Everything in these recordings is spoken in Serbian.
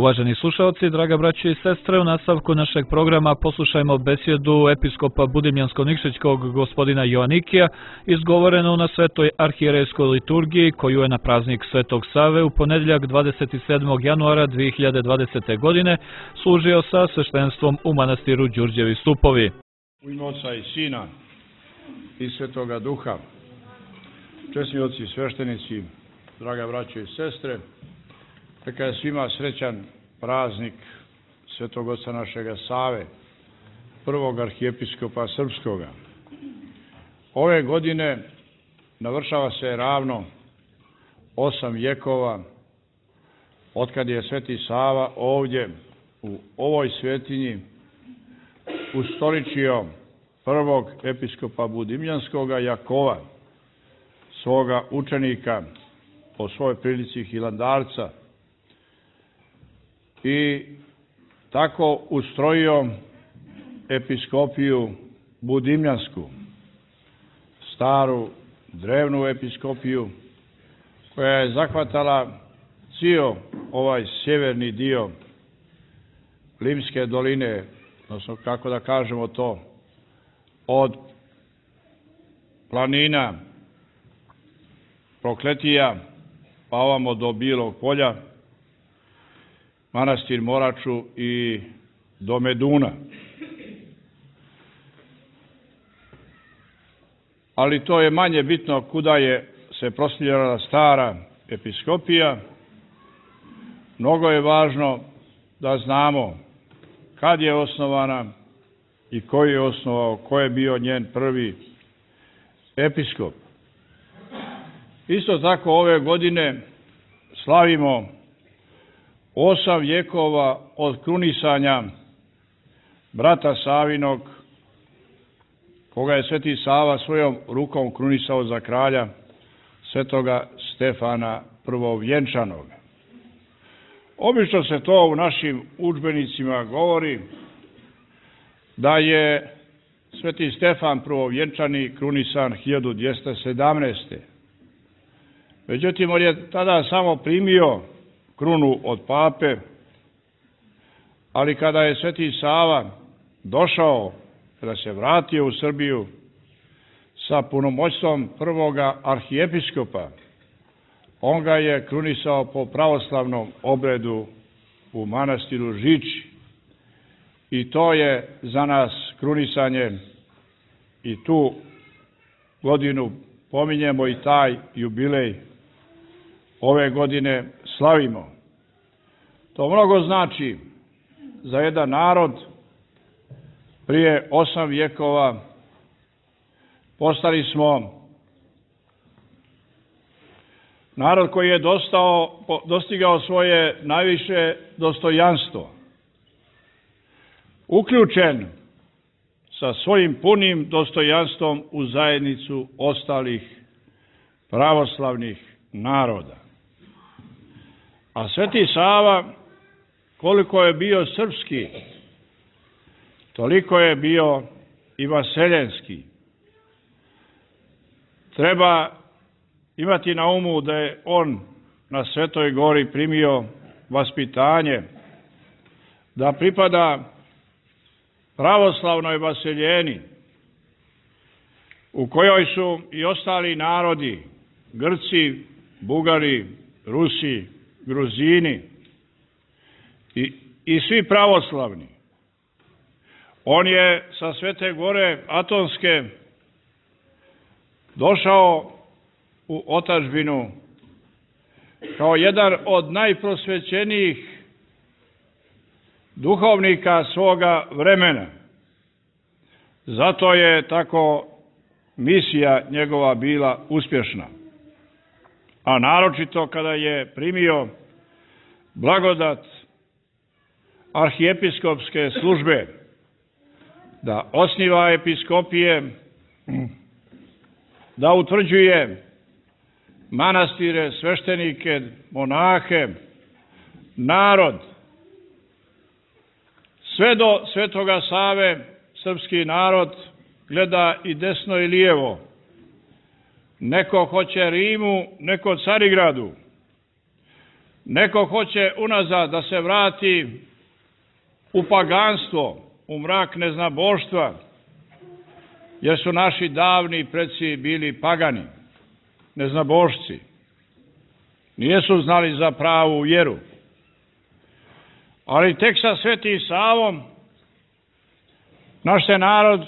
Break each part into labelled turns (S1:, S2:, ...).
S1: Uvaženi slušalci, draga braće i sestre, u nastavku našeg programa poslušajmo besjedu episkopa Budimljansko-Nikšićkog gospodina Joanikija, izgovorenu na Svetoj arhijerejskoj liturgiji, koju je na praznik Svetog Save u ponedjeljak 27. januara 2020. godine služio sa sveštenstvom u manastiru Đurđevi Stupovi.
S2: U ime Oca i Sina i Svetoga Duha, česni oci i sveštenici, draga braće i sestre, neka je svima srećan praznik Svetog Oca našega Save, prvog arhijepiskopa srpskoga. Ove godine navršava se ravno 8 vjekova otkad je Sveti Sava ovdje u ovoj svetinji ustoličio prvog episkopa Budimljanskoga Jakova, svoga učenika po svojoj prilici hilandarca, i tako ustrojio episkopiju Budimljansku, staru, drevnu episkopiju, koja je zahvatala cijel ovaj sjeverni dio Limske doline, odnosno kako da kažemo to, od planina Prokletija pa ovamo do Bilog polja, manastir Moraču i do Meduna. Ali to je manje bitno kuda je se prostirala stara episkopija. Mnogo je važno da znamo kad je osnovana i ko je osnovao, ko je bio njen prvi episkop. Isto tako ove godine slavimo 8 vjekova od krunisanja brata Savinog, koga je Sveti Sava svojom rukom krunisao za kralja, Svetoga Stefana Prvovjenčanog. Obično se to u našim udžbenicima govori da je Sveti Stefan Prvovjenčani krunisan 1217. Međutim, on je tada samo primio krunu od pape, ali kada je Sveti Sava došao, kada se vratio u Srbiju sa punomoćstvom prvoga arhijepiskopa, on ga je krunisao po pravoslavnom obredu u manastiru Žiči. I to je za nas krunisanje, i tu godinu pominjemo i taj jubilej ove godine slavimo. To mnogo znači za jedan narod. Prije 8 vjekova postali smo narod koji je dostigao svoje najviše dostojanstvo, uključen sa svojim punim dostojanstvom u zajednicu ostalih pravoslavnih naroda. A Sveti Sava, koliko je bio srpski, toliko je bio i vaseljenski. Treba imati na umu da je on na Svetoj gori primio vaspitanje, da pripada pravoslavnoj vaseljeni, u kojoj su i ostali narodi, Grci, Bugari, Rusi, Gruzini i svi pravoslavni. On je sa Svete gore Atonske došao u otadžbinu kao jedan od najprosvećenijih duhovnika svoga vremena. Zato je tako misija njegova bila uspješna. A naročito kada je primio blagodat arhijepiskopske službe, da osniva episkopije, da utvrđuje manastire, sveštenike, monahe, narod. Sve do Svetoga Save srpski narod gleda i desno i lijevo. Neko hoće Rimu, neko Carigradu. Neko hoće unazad da se vrati u paganstvo, u mrak neznaboštva, jer su naši davni preci bili pagani, neznabošci. Nijesu znali za pravu vjeru. Ali tek sa Svetim Savom naš se narod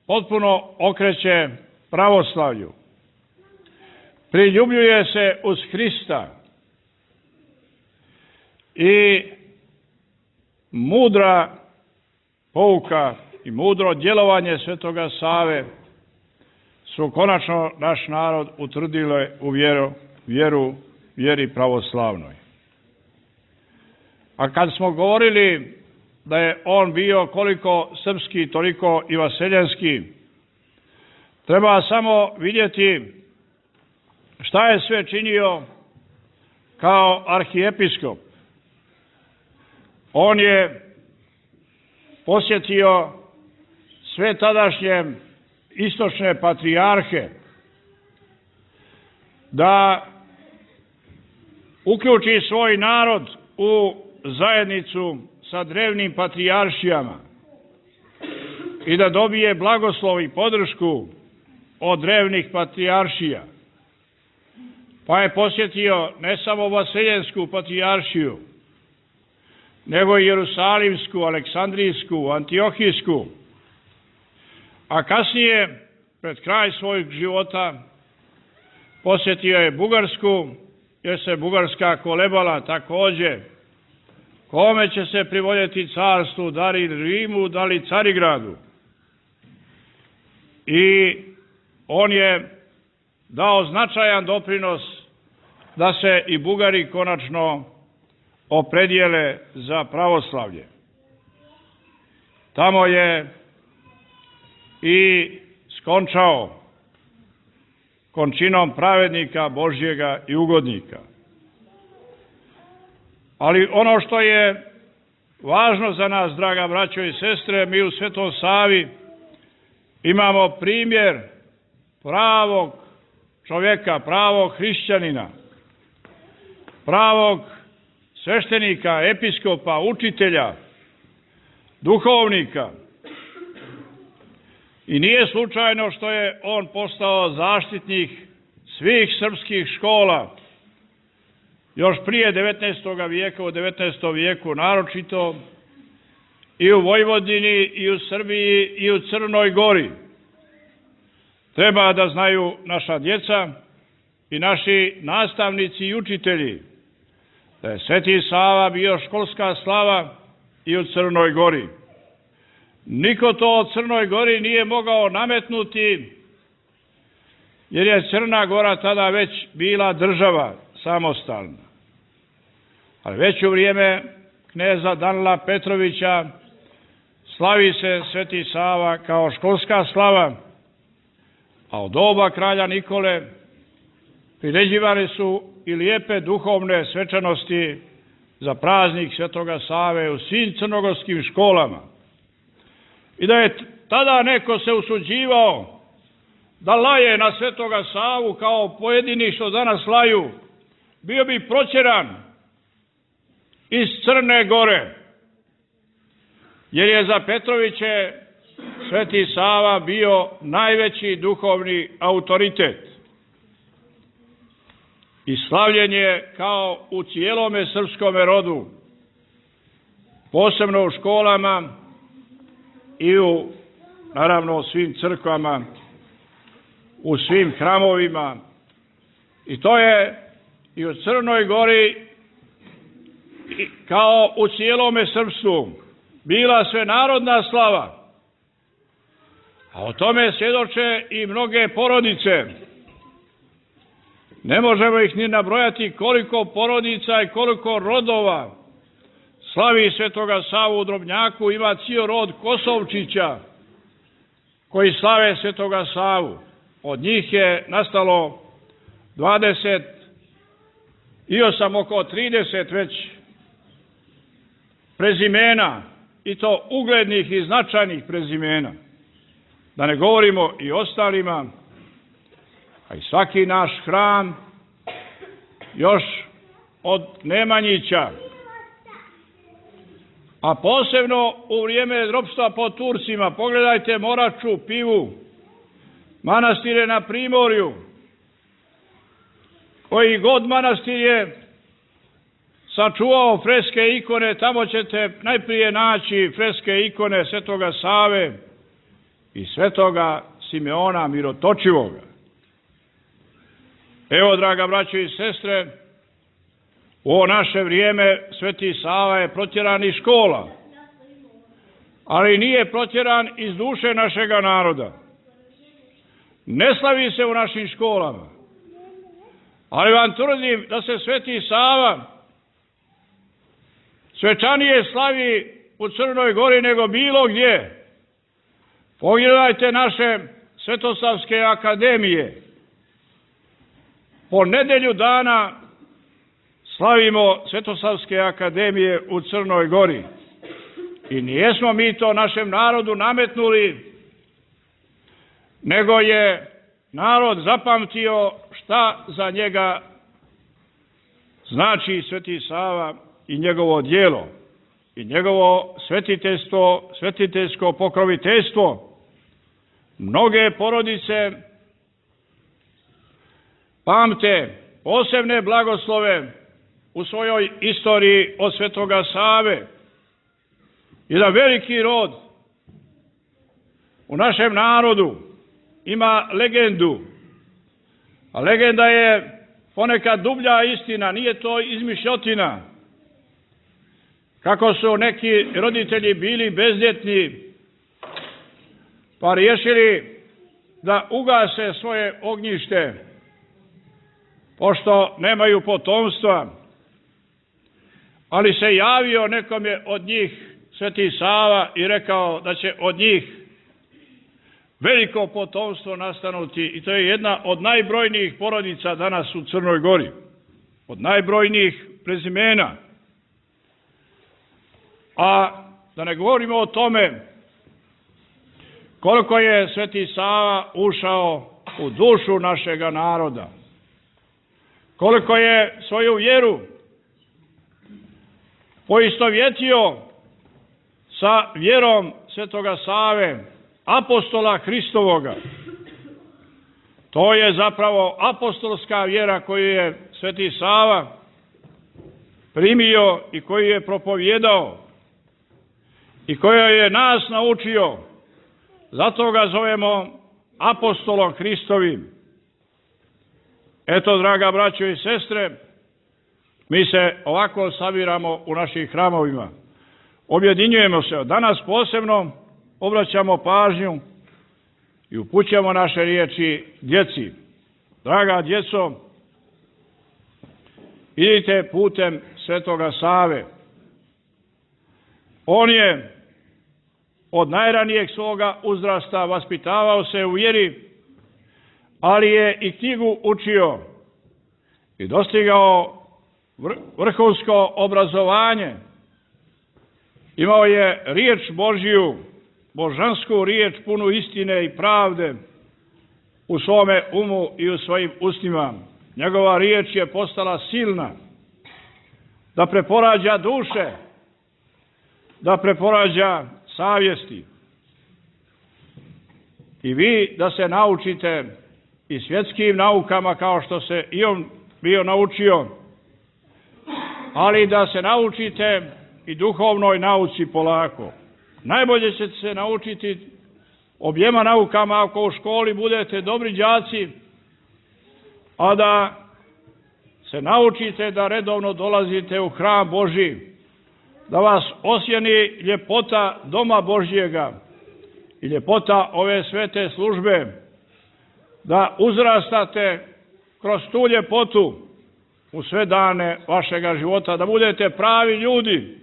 S2: potpuno okreće pravoslavlju. Priljubljuje se uz Hrista i mudra pouka i mudro djelovanje Svetoga Save su konačno naš narod utvrdile u vjeri pravoslavnoj. A kad smo govorili da je on bio koliko srpski, toliko i vaseljanski, treba samo vidjeti šta je sve činio kao arhijepiskop. On je posjetio sve tadašnje istočne patrijarhe da uključi svoj narod u zajednicu sa drevnim patrijaršijama i da dobije blagoslov i podršku od drevnih patrijaršija. Pa je posjetio ne samo Vaseljensku patrijaršiju, nego i Jerusalimsku, Aleksandrijsku, Antiohijsku, a kasnije, pred kraj svojeg života, posjetio je Bugarsku, jer se Bugarska kolebala također kome će se privoljeti carstvu, da li Rimu, da li Carigradu. I on je dao značajan doprinos da se i Bugari konačno opredijele za pravoslavlje. Tamo je i skončao končinom pravednika Božjega i ugodnika. Ali ono što je važno za nas, draga braćo i sestre, mi u Svetom Savi imamo primjer pravog čovjeka, pravog hrišćanina, pravog sveštenika, episkopa, učitelja, duhovnika. I nije slučajno što je on postao zaštitnik svih srpskih škola još prije 19. vijeka, u 19. vijeku naročito, i u Vojvodini, i u Srbiji, i u Crnoj Gori. Treba da znaju naša djeca i naši nastavnici i učitelji da je Sveti Sava bio školska slava i u Crnoj Gori. Niko to od Crnoj Gori nije mogao nametnuti, jer je Crna Gora tada već bila država samostalna. Ali već u vrijeme kneza Danila Petrovića slavi se Sveti Sava kao školska slava, a od doba kralja Nikole priređivane su i lijepe duhovne svečanosti za praznik Svetoga Save u svim crnogorskim školama. I da je tada neko se usuđivao da laje na Svetoga Savu kao pojedini što danas laju, bio bi protjeran iz Crne Gore, jer je za Petroviće Sveti Sava bio najveći duhovni autoritet. I slavljen je kao u cijelome srpskome rodu, posebno u školama i u, naravno, u svim crkvama, u svim hramovima. I to je i u Crnoj Gori kao u cijelome srpstvu bila svenarodna slava. A o tome svjedoče i mnoge porodice. Ne možemo ih ni nabrojati koliko porodica i koliko rodova slavi Svetoga Savu u Drobnjaku. Ima cijel rod Kosovčića koji slave Svetoga Savu. Od njih je nastalo 28, oko 30 već prezimena, i to uglednih i značajnih prezimena. Da ne govorimo i ostalima, a i svaki naš hram još od Nemanjića, a posebno u vrijeme ropstva pod Turcima. Pogledajte Moraču, Pivu, manastire na Primorju. Koji god manastir je sačuvao freske ikone, tamo ćete najprije naći freske ikone Svetoga Save i Svetoga Simeona Mirotočivoga. Evo, draga braćo i sestre, u ovo naše vrijeme Sveti Sava je protjeran iz škola, ali nije protjeran iz duše našega naroda. Ne slavi se u našim školama, ali vam tvrdim da se Sveti Sava svečanije slavi u Crnoj Gori nego bilo gdje. Pogledajte naše Svetosavske akademije. Po nedelju dana slavimo Svetosavske akademije u Crnoj Gori. I nijesmo mi to našem narodu nametnuli, nego je narod zapamtio šta za njega znači Sveti Sava i njegovo djelo i njegovo svetiteljsko pokroviteljstvo. Mnoge porodice pamte posebne blagoslove u svojoj istoriji od Svetoga Save. Jedan veliki rod u našem narodu ima legendu, a legenda je ponekad dublja istina, nije to izmišljotina. Kako su neki roditelji bili bezdjetni, pa riješili da ugase svoje ognjište, pošto nemaju potomstva, ali se javio nekome od njih Sveti Sava i rekao da će od njih veliko potomstvo nastanuti, i to je jedna od najbrojnijih porodica danas u Crnoj Gori, od najbrojnijih prezimena. A da ne govorimo o tome koliko je Sveti Sava ušao u dušu našega naroda, koliko je svoju vjeru poistovjetio sa vjerom Svetoga Save, apostola Hristovoga. To je zapravo apostolska vjera koju je Sveti Sava primio i koju je propovjedao i koja je nas naučio. Zato ga zovemo apostolom Hristovim. Eto, draga braćo i sestre, mi se ovako sabiramo u našim hramovima. Objedinjujemo se. Danas posebno obraćamo pažnju i upućujemo naše riječi djeci. Draga djeco, idite putem Svetoga Save. On je od najranijeg svoga uzrasta vaspitavao se u vjeri, ali je i knjigu učio i dostigao vrhunsko obrazovanje. Imao je riječ Božju, božansku riječ punu istine i pravde u svome umu i u svojim ustima. Njegova riječ je postala silna da preporađa duše, da preporađa savjesti. I vi da se naučite i svjetskim naukama kao što se i on bio naučio, ali da se naučite i duhovnoj nauci polako. Najbolje ćete se naučiti objema naukama ako u školi budete dobri đaci, a da se naučite da redovno dolazite u hram Božji, da vas osjeni ljepota doma Božjega i ljepota ove svete službe, da uzrastate kroz tu ljepotu u sve dane vašega života, da budete pravi ljudi,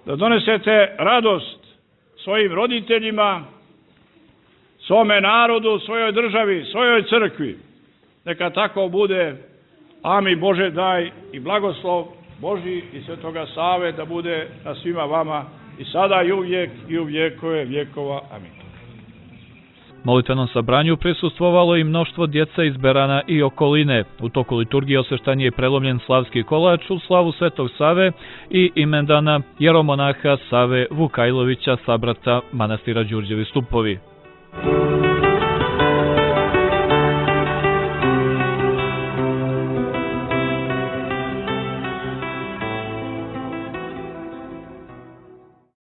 S2: da donesete radost svojim roditeljima, svome narodu, svojoj državi, svojoj crkvi. Neka tako bude. Amin. Bože daj i blagoslov Božji i Svetoga Save da bude na svima vama i sada i uvijek i u vjekove vjekova. Amin.
S1: Molitvenom sabranju prisustvovalo i mnoštvo djece iz Berana i okoline. U toku liturgije osveštan je prelomljen slavski kolač u slavu Svetog Save i imendana jeromonaha Save Vukajlovića, sabrata manastira Đurđevi Stupovi.